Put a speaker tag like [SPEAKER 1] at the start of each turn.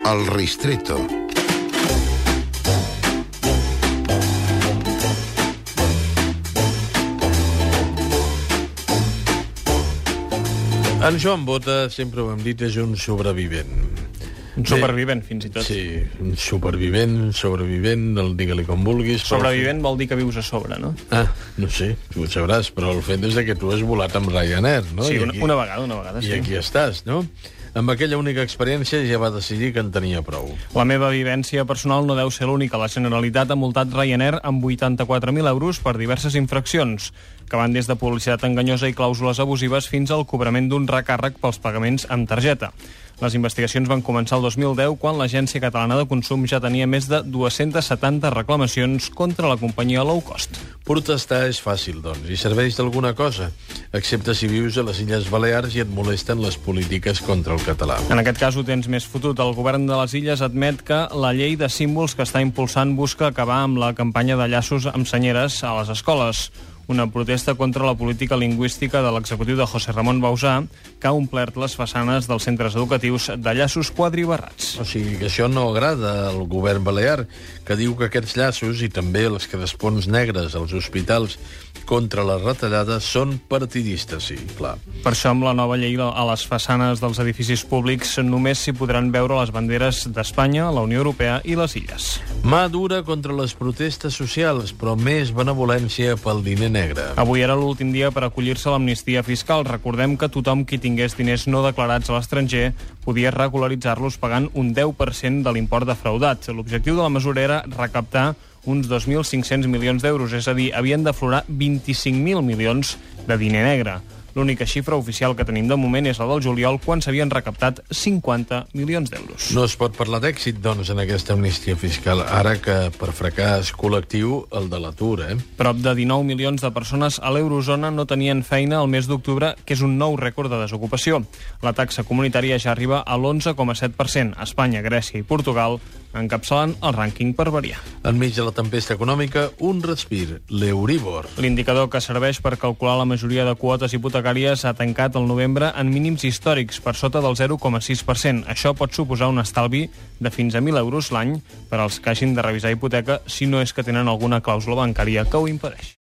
[SPEAKER 1] El Ristretto.
[SPEAKER 2] En Joan Bota, sempre ho hem dit, és un sobrevivent.
[SPEAKER 3] Un supervivent, fins i tot.
[SPEAKER 2] Sí, un sobrevivent, digue-li com vulguis.
[SPEAKER 3] Sobrevivent vol dir que vius a sobre, no?
[SPEAKER 2] No sé, tu ho sabràs, però el fet és que tu has volat amb Ryanair, no?
[SPEAKER 3] Sí, una vegada, sí.
[SPEAKER 2] I aquí estàs, no? Amb aquella única experiència ja va decidir que en tenia prou.
[SPEAKER 3] La meva vivència personal no deu ser l'única. La Generalitat ha multat Ryanair amb 84.000 euros per diverses infraccions, que van des de publicitat enganyosa i clàusules abusives fins al cobrament d'un recàrrec pels pagaments amb targeta. Les investigacions van començar el 2010, quan l'Agència Catalana de Consum ja tenia més de 270 reclamacions contra la companyia low cost.
[SPEAKER 2] Protestar és fàcil, doncs, i serveix d'alguna cosa, excepte si vius a les Illes Balears i et molesten les polítiques contra el català.
[SPEAKER 3] En aquest cas ho tens més fotut. El govern de les Illes admet que la llei de símbols que està impulsant busca acabar amb la campanya de llaços amb senyeres a les escoles. Una protesta contra la política lingüística de l'executiu de José Ramon Bauzá, que ha omplert les façanes dels centres educatius de llaços quadribarrats.
[SPEAKER 2] O sigui que això no agrada al govern balear, que diu que aquests llaços i també les crespons negres als hospitals contra les retallades són partidistes, sí, clar.
[SPEAKER 3] Per això, amb la nova llei, a les façanes dels edificis públics només s'hi podran veure les banderes d'Espanya, la Unió Europea i les Illes.
[SPEAKER 2] Mà dura contra les protestes socials, però més benevolència pel diner negre.
[SPEAKER 3] Avui era l'últim dia per acollir-se a l'amnistia fiscal. Recordem que tothom qui tingués diners no declarats a l'estranger podia regularitzar-los pagant un 10% de l'import defraudat. L'objectiu de la mesura era recaptar uns 2.500 milions d'euros, és a dir, havien d'aflorar 25.000 milions de diner negre. L'única xifra oficial que tenim de moment és la del juliol, quan s'havien recaptat 50 milions d'euros.
[SPEAKER 2] No es pot parlar d'èxit, doncs, en aquesta amnistia fiscal, ara que per fracàs col·lectiu el de l'atur,
[SPEAKER 3] Prop de 19 milions de persones a l'eurozona no tenien feina el mes d'octubre, que és un nou rècord de desocupació. La taxa comunitària ja arriba a l'11,7%. Espanya, Grècia i Portugal encapçalen el rànquing per variar.
[SPEAKER 2] Enmig de la tempesta econòmica, un respir, l'Euribor.
[SPEAKER 3] L'indicador que serveix per calcular la majoria de quotes hipotecàries ha tancat el novembre en mínims històrics, per sota del 0,6%. Això pot suposar un estalvi de fins a 1.000 euros l'any per als que hagin de revisar hipoteca, si no és que tenen alguna clàusula bancària que ho impedeix.